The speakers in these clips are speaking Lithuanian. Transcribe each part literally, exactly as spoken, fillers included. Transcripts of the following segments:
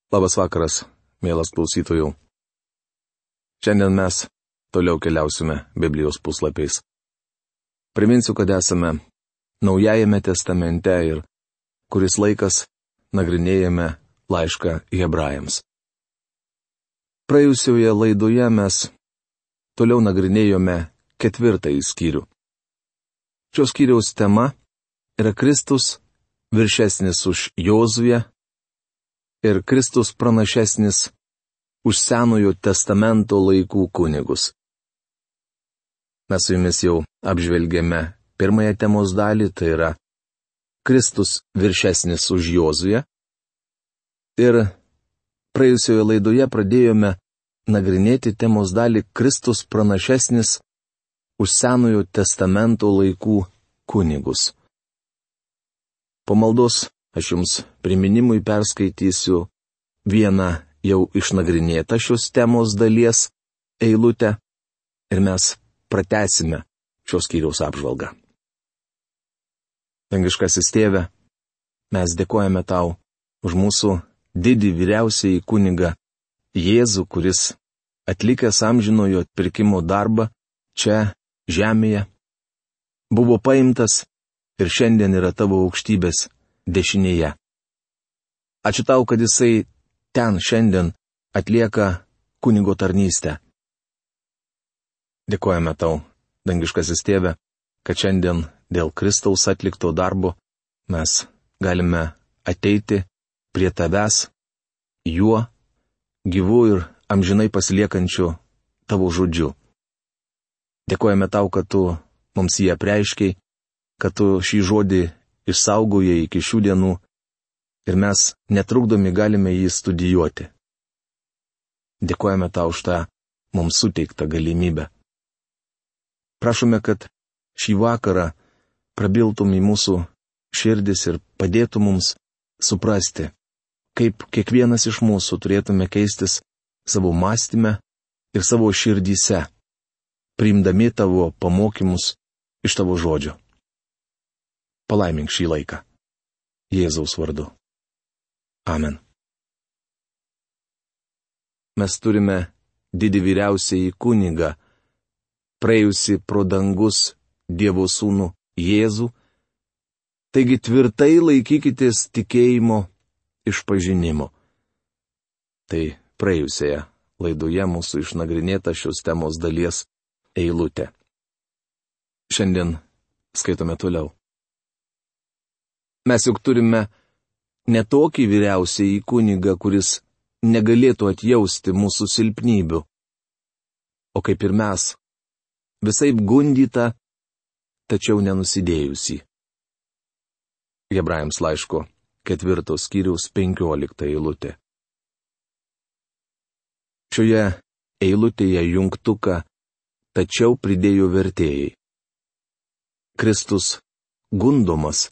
Labas vakaras, mielas klausytojų. Šiandien mes toliau keliausime Biblijos puslapiais. Priminsiu, kad esame Naujajame testamente ir kuris laikas nagrinėjame laišką Hebrajams. Praėjusioje laidoje mes toliau nagrinėjome ketvirtąjį skyrių. Šios skyriaus tema yra Kristus viršesnis už Jozuę ir Kristus pranašesnis už Senojo testamento laikų kunigus. Mes su jumis jau apžvelgėme pirmąją temos dalį, tai yra Kristus viršesnis už Jozuę. Ir praėjusioje laidoje pradėjome nagrinėti temos dalį Kristus pranašesnis už Senojo testamento laikų kunigus. Po maldos aš jums priminimui perskaitysiu vieną jau išnagrinėtą šios temos dalies eilutę ir mes pratęsime šios skyriaus apžvalgą. Dangiškasis Tėve, mes dėkojame Tau už mūsų didį vyriausiąjį kunigą Jėzų, kuris atlikęs amžinojo atpirkimo darbą čia žemėje, buvo paimtas ir šiandien yra Tavo aukštybės dešinėje. Ačiū Tau, kad Jisai ten šiandien atlieka kunigo tarnystę. Dėkojame Tau, dangiškasis Tėve, kad šiandien dėl Kristaus atlikto darbo mes galime ateiti prie Tavęs, juo, gyvu ir amžinai pasiliekančiu Tavo žodžiu. Dėkojame Tau, kad Tu mums jį apreiškiai, kad Tu šį žodį išsaugojai iki šių dienų ir mes netrukdomi galime jį studijuoti. Dėkojame Tau už tą mums suteiktą galimybę. Prašome, kad šį vakarą prabiltum į mūsų širdis ir padėtum mums suprasti, kaip kiekvienas iš mūsų turėtume keistis savo mąstyme ir savo širdyse, priimdami Tavo pamokymus iš Tavo žodžio. Palaimink šį laiką. Jėzaus vardu. Amen. Mes turime didį vyriausiąjį kunigą, praėjusi pro dangus Dievo sūnų Jėzų, taigi tvirtai laikykitės tikėjimo išpažinimo. Tai praėjusioje laidoje mūsų išnagrinėta šios temos dalies eilutė. Šiandien skaitome toliau. Mes juk turime ne tokį vyriausiąjį kunigą, kuris negalėtų atjausti mūsų silpnybių, o kaip ir mes, visaip gundyta, tačiau nenusidėjusi. Hebrajams laiško ketvirtos skyriaus penkiolikta eilutė. Šioje eilutėje jungtuką tačiau pridėjo vertėjai. Kristus gundomas,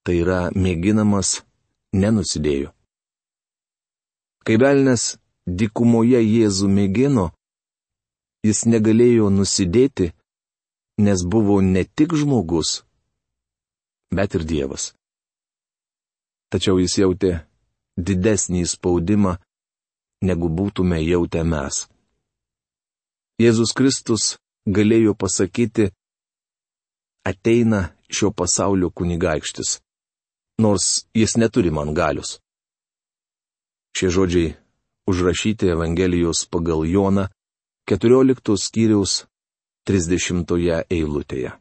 tai yra mėginamas, nenusidėjo. Kai velnias dykumoje Jėzų mėgino, jis negalėjo nusidėti, nes buvo ne tik žmogus, bet ir Dievas. Tačiau jis jautė didesnį spaudimą, negu būtume jautę mes. Jėzus Kristus galėjo pasakyti, ateina šio pasaulio kunigaikštis, nors jis neturi man galios. Šie žodžiai užrašyti Evangelijos pagal Joną keturioliktos skyriaus trisdešimtoje eilutėje.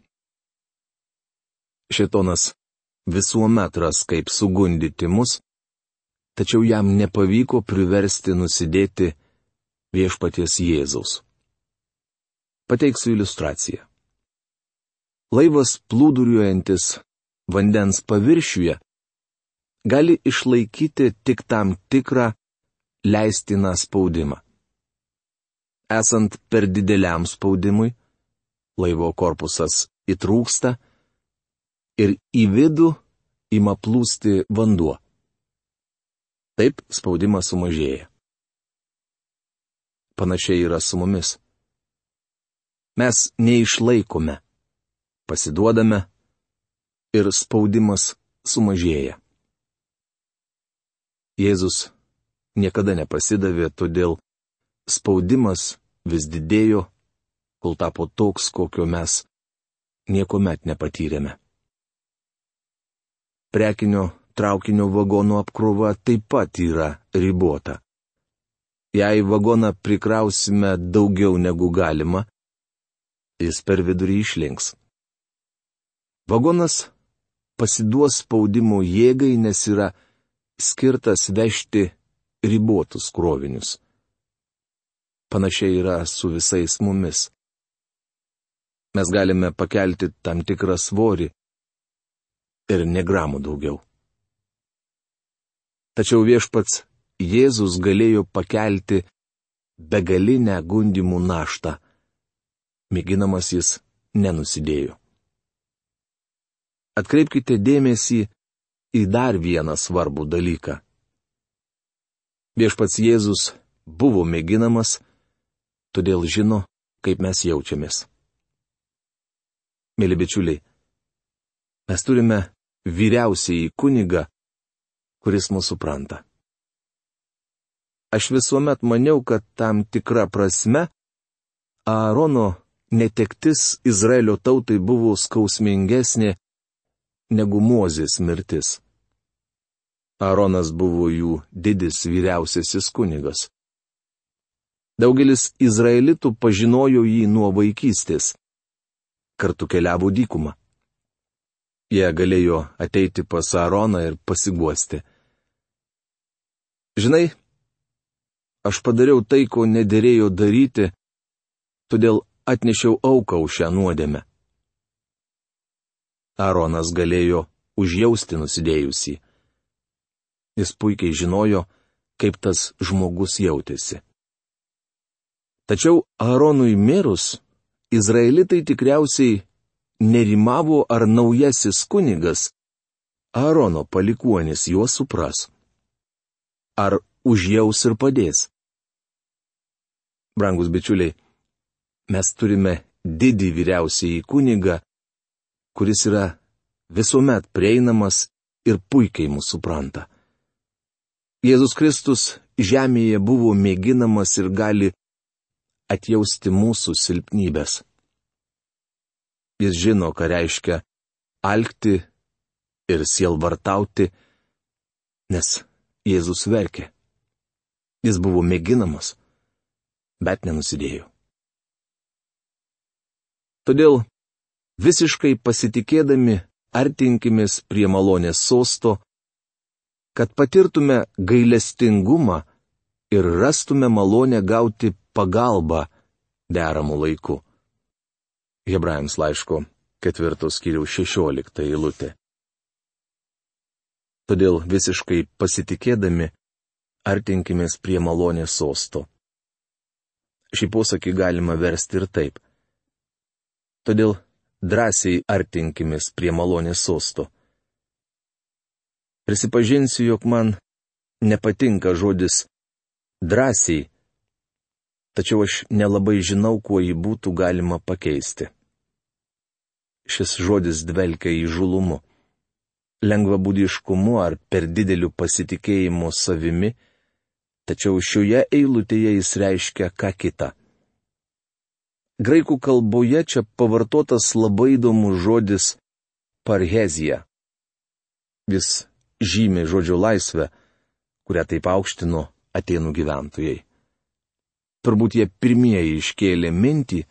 Šėtonas visuomet ras kaip sugundyti mus, tačiau jam nepavyko priversti nusidėti viešpaties Jėzaus. Pateiksiu iliustraciją. Laivas plūduriuojantis vandens paviršiuje gali išlaikyti tik tam tikrą leistiną spaudimą. Esant per dideliam spaudimui, laivo korpusas įtrūksta ir į vidų ima plūsti vanduo. Taip spaudimas sumažėja. Panašiai yra su mumis. Mes neišlaikome, pasiduodame ir spaudimas sumažėja. Jėzus niekada nepasidavė, todėl spaudimas vis didėjo, kol tapo toks, kokio mes niekuomet nepatyrėme. Prekinio traukinio vagonų apkrova taip pat yra ribota. Jei vagoną prikrausime daugiau negu galima, jis per vidurį išlinks. Vagonas pasiduos spaudimo jėgai, nes yra skirtas vežti ribotus krovinius. Panašiai yra su visais mumis. Mes galime pakelti tam tikrą svorį ir ne gramų daugiau. Tačiau viešpats Jėzus galėjo pakelti begalinę gundymų naštą. Mėginamas jis nenusidėjo. Atkreipkite dėmesį į dar vieną svarbų dalyką. Viešpats Jėzus buvo mėginamas, todėl žino, kaip mes jaučiamės. Mėly bičiuliai, mes turime vyriausiąjį kunigą, kuris mus supranta. Aš visuomet maniau, kad tam tikra prasme Aarono netektis Izraelio tautai buvo skausmingesnė negu Mozės mirtis. Aaronas buvo jų didis vyriausiasis kunigas. Daugelis izraelitų pažinojo jį nuo vaikystės. Kartu keliavo dykumą. Jie galėjo ateiti pas Aaroną ir pasiguosti. Žinai, aš padariau tai, ko nederėjo daryti, todėl atnešiau auką už šią nuodėmę. Aaronas galėjo užjausti nusidėjusį. Jis puikiai žinojo, kaip tas žmogus jautėsi. Tačiau Aaronui mirus, izraelitai tikriausiai nerimavo, ar naujasis kunigas, Aarono palikuonis, juos supras. Ar užjaus ir padės. Brangus bičiuliai, mes turime didį vyriausiąjį kunigą, kuris yra visuomet prieinamas ir puikiai mus supranta. Jėzus Kristus žemėje buvo mėginamas ir gali atjausti mūsų silpnybės. Jis žino, ką reiškia alkti ir sielvartauti, nes Jėzus verkė. Jis buvo mėginamas, bet nenusidėjo. Todėl visiškai pasitikėdami artinkimės prie malonės sosto, kad patirtume gailestingumą ir rastume malonę gauti pagalbą deramų laiku. Hebrajams laiško ketvirtos skyriaus šešiolikta eilutė. Todėl visiškai pasitikėdami artinkimės prie malonės sosto. Šį posakį galima versti ir taip. Todėl drąsiai artinkimės prie malonės sosto. Prisipažinsiu, jog man nepatinka žodis drąsiai, tačiau aš nelabai žinau, kuo jį būtų galima pakeisti. Šis žodis dvelkia įžulumu, lengvabūdiškumu ar per dideliu pasitikėjimu savimi, tačiau šioje eilutėje jis reiškia ką kita. Graikų kalboje čia pavartotas labai įdomus žodis parhezija. Jis žymi žodžio laisvę, kurią taip aukštino Atėnų gyventojai. Turbūt jie pirmieji iškėlė mintį,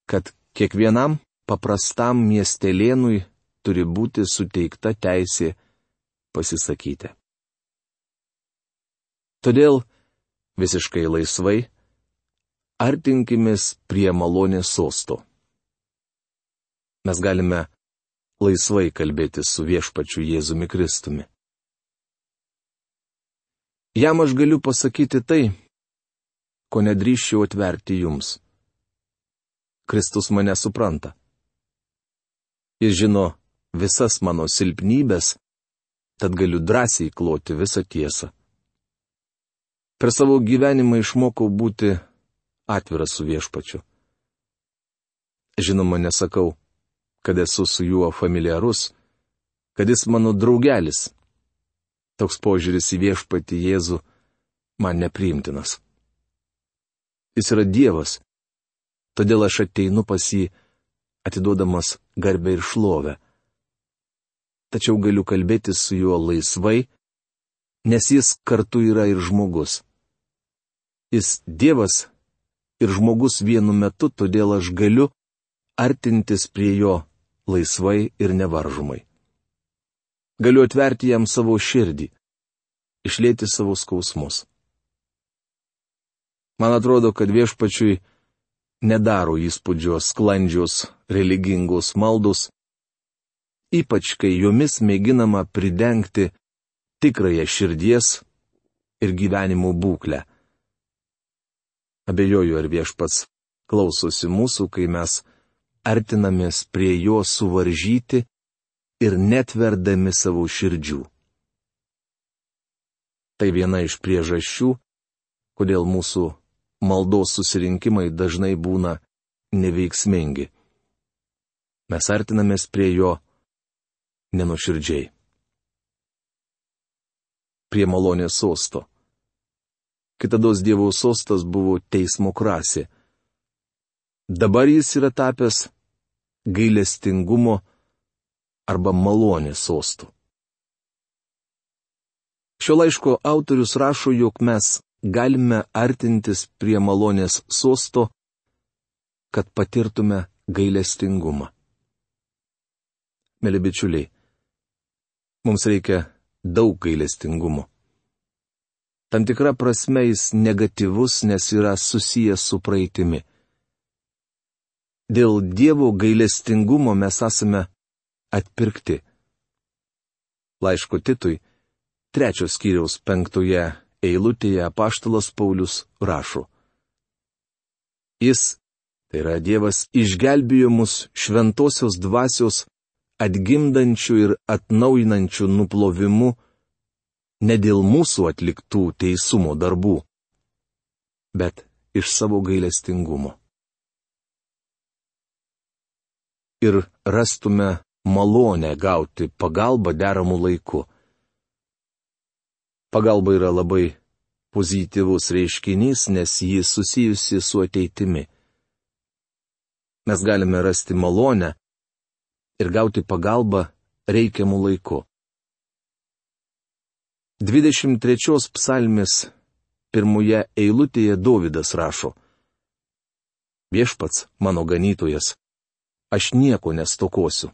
kad kiekvienam paprastam miestelėnui turi būti suteikta teisė pasisakyti. Todėl visiškai laisvai artinkimės prie malonės sosto. Mes galime laisvai kalbėti su viešpačiu Jėzumi Kristumi. Jam aš galiu pasakyti tai, ko nedrįsčiau atverti jums. Kristus mane supranta. Jis žino visas mano silpnybės, tad galiu drąsiai kloti visą tiesą. Per savo gyvenimą išmokau būti atviras su viešpačiu. Žinoma, nesakau, kad esu su juo familiarus, kad jis mano draugelis. Toks požiūris į viešpatį Jėzų man nepriimtinas. Jis yra Dievas, todėl aš ateinu pas jį, atiduodamas garbę ir šlovę. Tačiau galiu kalbėti su juo laisvai, nes jis kartu yra ir žmogus. Jis Dievas ir žmogus vienu metu, todėl aš galiu artintis prie jo laisvai ir nevaržomai. Galiu atverti jam savo širdį, išlieti savo skausmus. Man atrodo, kad Viešpačiui nedaro įspūdžio sklandžios religingos maldos, ypač kai jomis mėginama pridengti tikrąją širdies ir gyvenimo būklę. Abejoju, ar Viešpats klausosi mūsų, kai mes artinamės prie jo suvaržyti ir netverdami savo širdžių. Tai viena iš priežasčių, kodėl mūsų maldos susirinkimai dažnai būna neveiksmingi. Mes artinamės prie jo nenuoširdžiai. Prie malonės sosto. Kitados Dievo sostas buvo teismo krasė. Dabar jis yra tapęs gailestingumo arba malonės sostu. Šio laiško autorius rašo, jog mes galime artintis prie malonės sosto, kad patirtume gailestingumą. Mėly bičiuliai, mums reikia daug gailestingumo. Tam tikra prasme jis negatyvus, nes yra susijęs su praeitimi. Dėl Dievo gailestingumo mes esame atpirkti. Laiško Titui, trečios skyriaus penktoje eilutėje apaštalas Paulius rašo: Jis, tai yra Dievas, išgelbėjo mus šventosios dvasios atgimdančių ir atnaujinančių nuplovimu ne dėl mūsų atliktų teisumo darbų, bet iš savo gailestingumo. Ir rastume malonę gauti pagalbą deramų laiku. Pagalba yra labai pozityvus reiškinys, nes ji susijusi su ateitimi. Mes galime rasti malonę ir gauti pagalbą reikiamų laiku. dvidešimt trečios psalmės pirmoje eilutėje Dovydas rašo: Viešpats mano ganytojas, aš nieko nestokosiu.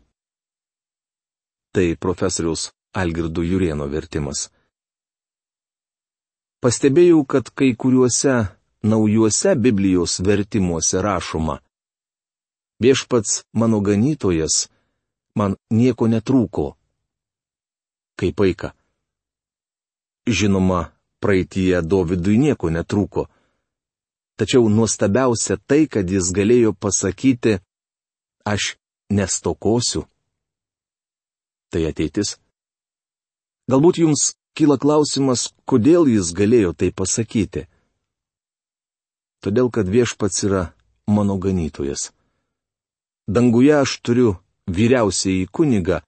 Tai profesoriaus Algirdo Jurėno vertimas. Pastebėjau, kad kai kuriuose naujuose Biblijos vertimuose rašoma: Viešpats mano ganytojas, man nieko netrūko. Kaip paika. Žinoma, praeityje Dovydui nieko netrūko. Tačiau nuostabiausia tai, kad jis galėjo pasakyti: aš nestokosiu. Tai ateitis. Galbūt jums kyla klausimas, kodėl jis galėjo tai pasakyti. Todėl, kad Viešpats yra mano ganytojas. Danguje aš turiu vyriausiąjį kunigą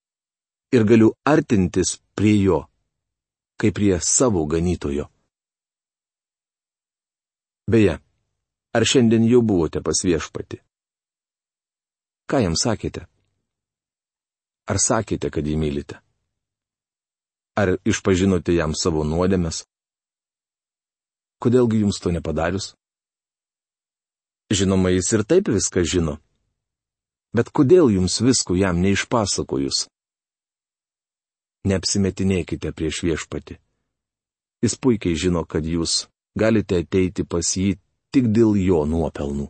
ir galiu artintis prie jo, kaip prie savo ganytojo. Beje, ar šiandien jau buvote pas Viešpatį? Ką jam sakėte? Ar sakėte, kad jį mylite? Ar išpažinote jam savo nuodėmes? Kodėlgi jums to nepadarius? Žinoma, jis ir taip viską žino. Bet kodėl jums visko jam neišpasakojus? Neapsimetinėkite prieš Viešpatį. Jis puikiai žino, kad jūs galite ateiti pas jį tik dėl jo nuopelnų.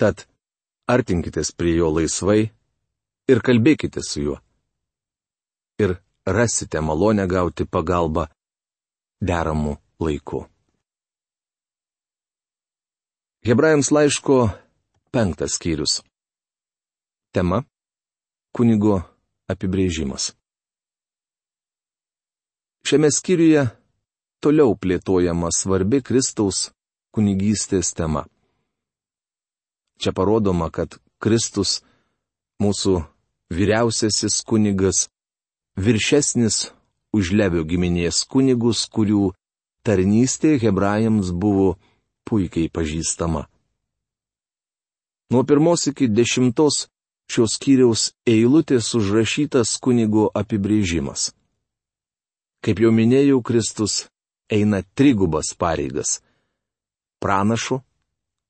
Tad artinkitės prie jo laisvai ir kalbėkite su juo. Ir rasite malonę gauti pagalbą deramų laiku. Hebrajams laiško penktas skyrius. Tema – kunigo apibrėžimas. Šiame skyriuje toliau plėtojama svarbi Kristaus kunigystės tema. Čia parodoma, kad Kristus, mūsų vyriausiasis kunigas, viršesnis už Levio giminės kunigus, kurių tarnystė hebrajams buvo puikiai pažįstama. Nuo pirmos iki dešimtos šios skyriaus eilutės užrašytas kunigo apibrėžimas. Kaip jau minėjau, Kristus eina trigubas pareigas - pranašo,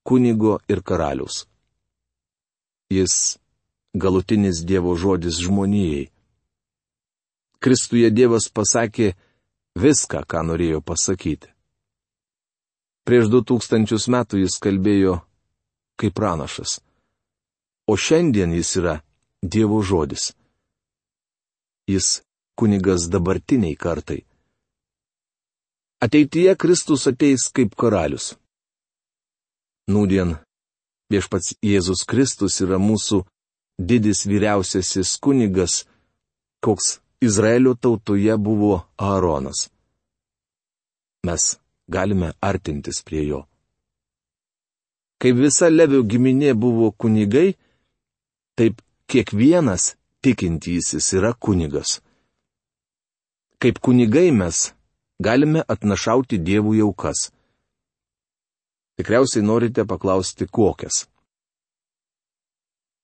kunigo ir karaliaus. Jis galutinis Dievo žodis žmonijai. Kristuje Dievas pasakė viską, ką norėjo pasakyti. Prieš du tūkstančius metų jis kalbėjo kaip pranašas. O šiandien jis yra Dievo žodis. Jis kunigas dabartiniai kartai. Ateityje Kristus ateis kaip karalius. Nūdien viešpats Jėzus Kristus yra mūsų didis vyriausiasis kunigas, koks Izraelio tautoje buvo Aaronas. Mes galime artintis prie jo. Kaip visa Levio giminė buvo kunigai, taip kiekvienas tikintysis yra kunigas. Kaip kunigai mes galime atnašauti Dievui aukas. Tikriausiai norite paklausti, kokias.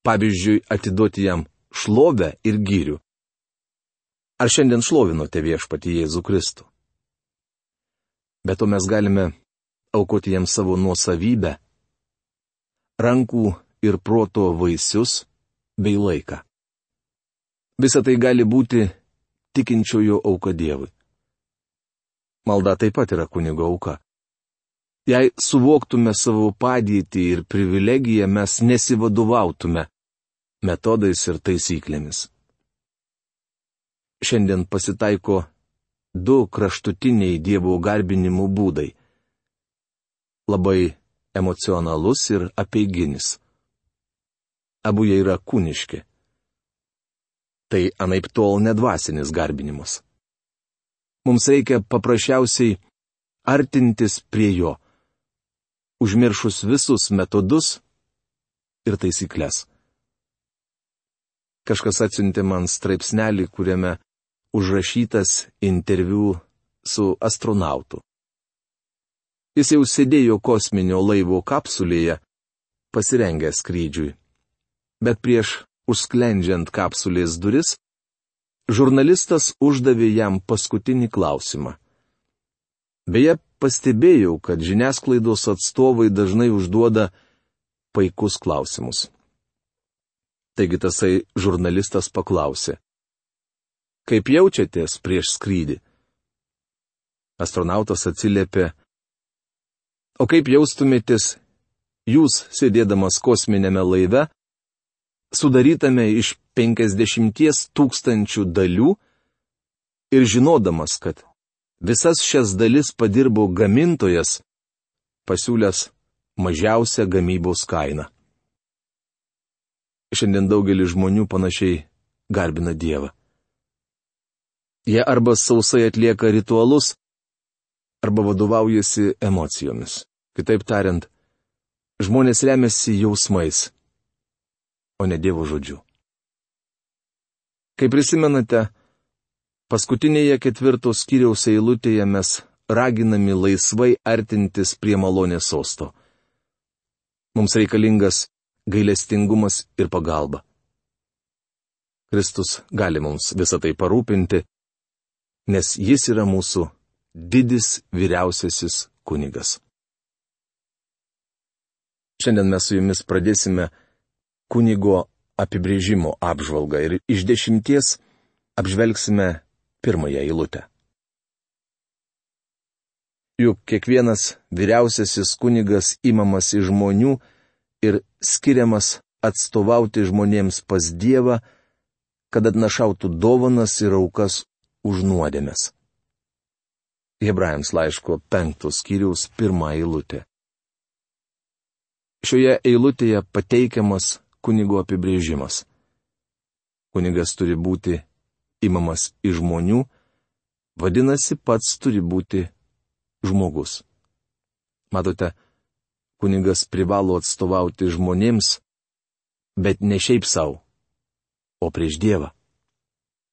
Pavyzdžiui, atiduoti jam šlovę ir gyrių. Ar šiandien šlovinote viešpatį Jėzų Kristų? Bet to mes galime aukoti jam savo nuosavybę, rankų ir proto vaisius bei laiką. Visa tai gali būti tikinčiojo auka Dievui. Malda taip pat yra kunigo auka. Jei suvoktume savo padėtį ir privilegiją, mes nesivadovautume metodais ir taisyklėmis. Šiandien pasitaiko du kraštutiniai Dievo garbinimo būdai. Labai emocionalus ir apeiginis. Abu jie yra kūniški. Tai anaiptol nedvasinis garbinimas. Mums reikia paprasčiausiai artintis prie jo, užmiršus visus metodus ir taisyklės. Kažkas atsiuntė man straipsnelį, kuriame užrašytas interviu su astronautu. Jis jau sėdėjo kosminio laivo kapsulėje, pasirengęs skrydžiui. Bet prieš užsklendžiant kapsulės duris, žurnalistas uždavė jam paskutinį klausimą. Beje, pastebėjau, kad žiniasklaidos atstovai dažnai užduoda paikus klausimus. Taigi tasai žurnalistas paklausė: Kaip jaučiatės prieš skrydį? Astronautas atsiliepė: O kaip jaustumėtės jūs sėdėdamas kosminėme laive, sudarytame iš penkiasdešimties tūkstančių dalių ir žinodamas, kad visas šias dalis padirbo gamintojas, pasiūlęs mažiausią gamybos kainą. Šiandien daugelis žmonių panašiai garbina Dievą. Jie arba sausai atlieka ritualus, arba vadovaujasi emocijomis. Kitaip tariant, žmonės remiasi jausmais, o ne Dievo žodžiu. Kaip prisimenate, paskutinėje ketvirtos skyriaus eilutėje mes raginami laisvai artintis prie malonės sosto. Mums reikalingas gailestingumas ir pagalba. Kristus gali mums visą tai parūpinti, nes jis yra mūsų didis vyriausiasis kunigas. Šiandien mes su jumis pradėsime kunigo apibrėžimo apžvalgą ir iš dešimties apžvelgsime pirmąją eilutę. Juk kiekvienas vyriausiasis kunigas imamas iš žmonių ir skiriamas atstovauti žmonėms pas Dievą, kad atnašautų dovanas ir aukas už nuodėmes. Hebrajams laiško penktos skyriaus pirmą eilutę. Šioje eilutėje pateikiamas kunigo apibrėžimas. Kunigas turi būti imamas iš žmonių, vadinasi, pats turi būti žmogus. Matote, kunigas privalo atstovauti žmonėms, bet ne šiaip savo, o prieš Dievą.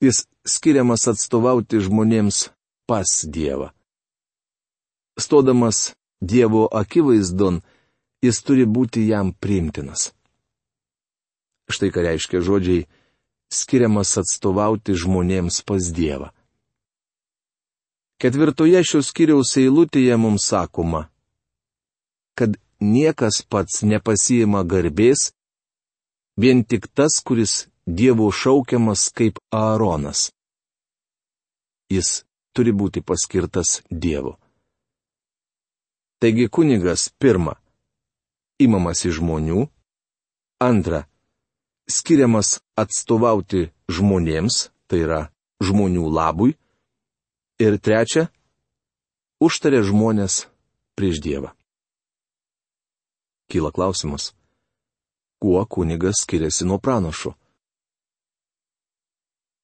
Jis skiriamas atstovauti žmonėms pas Dievą. stodamas Dievo akivaizdon, jis turi būti jam priimtinas. Štai ką reiškia žodžiai skiriamas atstovauti žmonėms pas Dievą. Ketvirtoje šios skyriaus eilutėje mums sakoma, kad niekas pats nepasiima garbės, vien tik tas, kuris Dievo šaukiamas kaip Aaronas. Jis turi būti paskirtas Dievu. Taigi kunigas pirma, imamas iš žmonių, antra, skiriamas atstovauti žmonėms, tai yra žmonių labui, ir trečia, užtaria žmonės prieš Dievą. Kyla klausimas, kuo kunigas skiriasi nuo pranašo?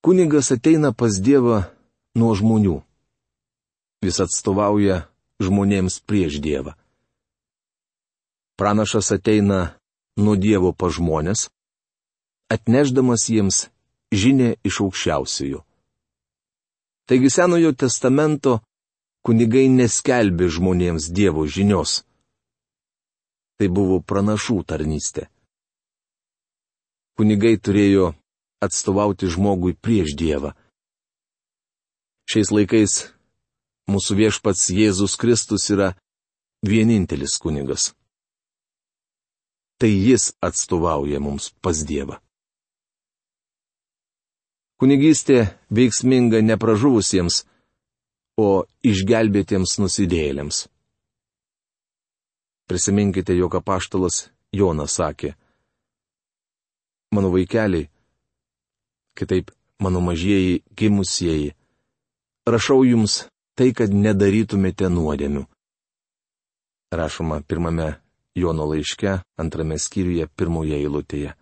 Kunigas ateina pas Dievą nuo žmonių. Jis atstovauja žmonėms prieš Dievą. Pranašas ateina nuo Dievo pas žmonės, atnešdamas jiems žinią iš aukščiausiųjų. Taigi Senojo testamento kunigai neskelbė žmonėms Dievo žinios. Tai buvo pranašų tarnystė. Kunigai turėjo atstovauti žmogui prieš Dievą. Šiais laikais mūsų viešpats Jėzus Kristus yra vienintelis kunigas. Tai jis atstovauja mums pas Dievą. Kunigystė veiksminga ne pražuvusiems, o išgelbėtiems nusidėjėliams. Prisiminkite, jog apaštalas Jonas sakė, mano vaikeliai, kitaip mano mažieji gimusieji, rašau jums tai, kad nedarytumėte nuodėmių. Rašoma pirmame Jono laiške, antrame skyriuje, pirmoje eilutėje.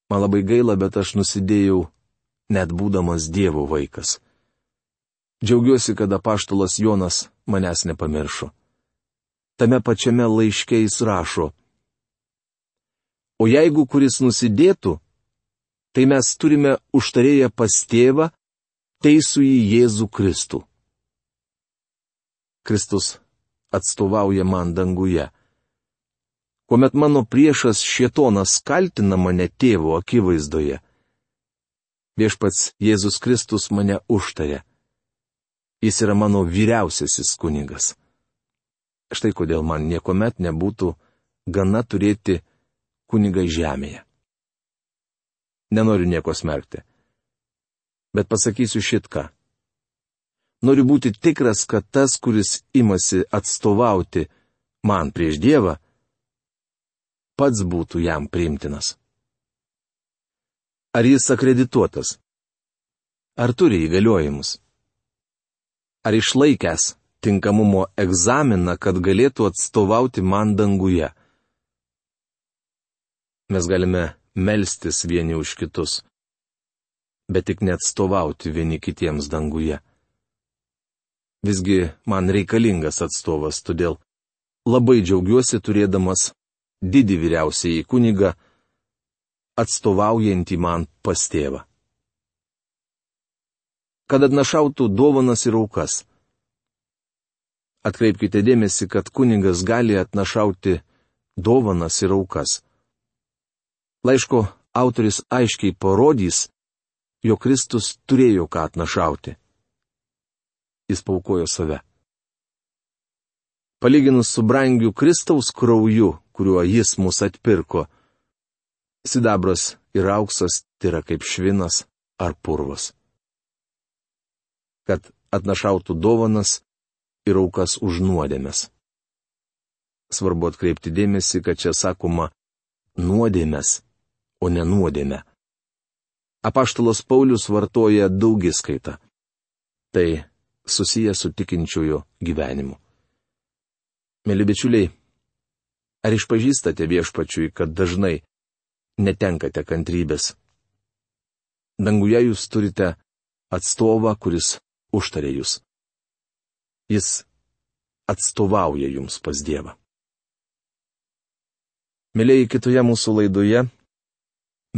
Man labai gaila, bet aš nusidėjau, net būdamas Dievo vaikas. Džiaugiuosi, kad apaštalas Jonas manęs nepamiršo. Tame pačiame laiške jis rašo, o jeigu kuris nusidėtų, tai mes turime užtarėję pas tėvą, teisųjį Jėzų Kristų. Kristus atstovauja man danguje. Kuomet mano priešas šėtonas kaltina mane tėvo akivaizdoje, viešpats Jėzus Kristus mane užtarė. Jis yra mano vyriausiasis kunigas. Štai kodėl man niekuomet nebūtų gana turėti kunigą žemėje. Nenoriu nieko smerkti. Bet pasakysiu šitką. Noriu būti tikras, kad tas, kuris imasi atstovauti man prieš Dievą, pats būtų jam priimtinas. Ar jis akredituotas? Ar turi įgaliojimus? Ar išlaikęs tinkamumo egzaminą, kad galėtų atstovauti man danguje? Mes galime melstis vieni už kitus, bet tik neatstovauti vieni kitiems danguje. Visgi man reikalingas atstovas, todėl labai džiaugiuosi turėdamas didį vyriausiąjį kunigą, atstovaujantį man pas tėvą. Kad atnašautų dovanas ir aukas. Atkreipkite dėmesį, kad kunigas gali atnašauti dovanas ir aukas. Laiško autoris aiškiai parodys, jog Kristus turėjo ką atnašauti. Jis paaukojo save. Palyginus su brangiu Kristaus krauju, kuriuo jis mus atpirko, sidabras ir auksas yra kaip švinas ar purvas. Kad atnašautų dovanas ir aukas už nuodėmes. Svarbu atkreipti dėmesį, kad čia sakoma nuodėmes, o ne nuodėmę. Apaštalas Paulius vartoja daugiskaitą. Tai susiję su tikinčiojo gyvenimu. Mėly bičiuliai, ar išpažįstate viešpačiui, kad dažnai netenkate kantrybės? Danguje jūs turite atstovą, kuris užtarė jūs. Jis atstovauja jums pas Dievą. Mėlėjai, kitoje mūsų laidoje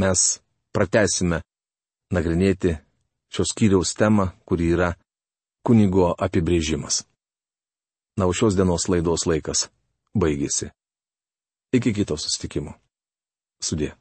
mes pratęsime nagrinėti šios skyriaus temą, kuri yra kunigo apibrėžimas. Na, o šios dienos laidos laikas baigėsi. Iki kito susitikimo. Sudie.